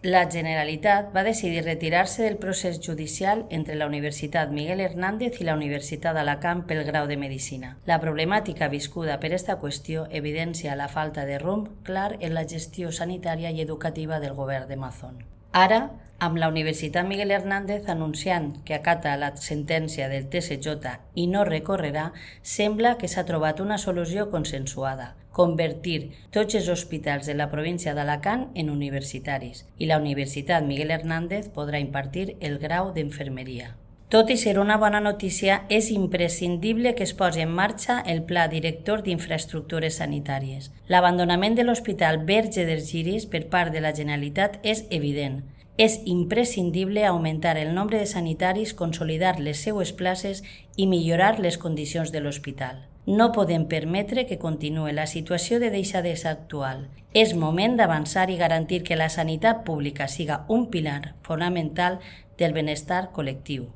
La Generalitat va decidir retirar-se del procés judicial entre la Universitat Miguel Hernández i la Universitat d'Alacant pel grau de Medicina. La problemàtica viscuda per esta qüestió evidencia la falta de rumb clar en la gestió sanitària i educativa del govern de Mazón. Ara, amb la Universitat Miguel Hernández anunciant que acata la sentència del TSJ i no recorrerà, sembla que s'ha trobat una solució consensuada: convertir tots els hospitals de la província d'Alacant en universitaris, i la Universitat Miguel Hernández podrà impartir el grau d'enfermeria. Tot i ser una bona notícia, és imprescindible que es posi en marxa el Pla Director d'Infraestructures Sanitàries. L'abandonament de l'Hospital Verge dels Lliris per part de la Generalitat és evident. És imprescindible augmentar el nombre de sanitaris, consolidar les seues places i millorar les condicions de l'hospital. No podem permetre que continuï la situació de deixadesa actual. És moment d'avançar i garantir que la sanitat pública siga un pilar fonamental del benestar col·lectiu.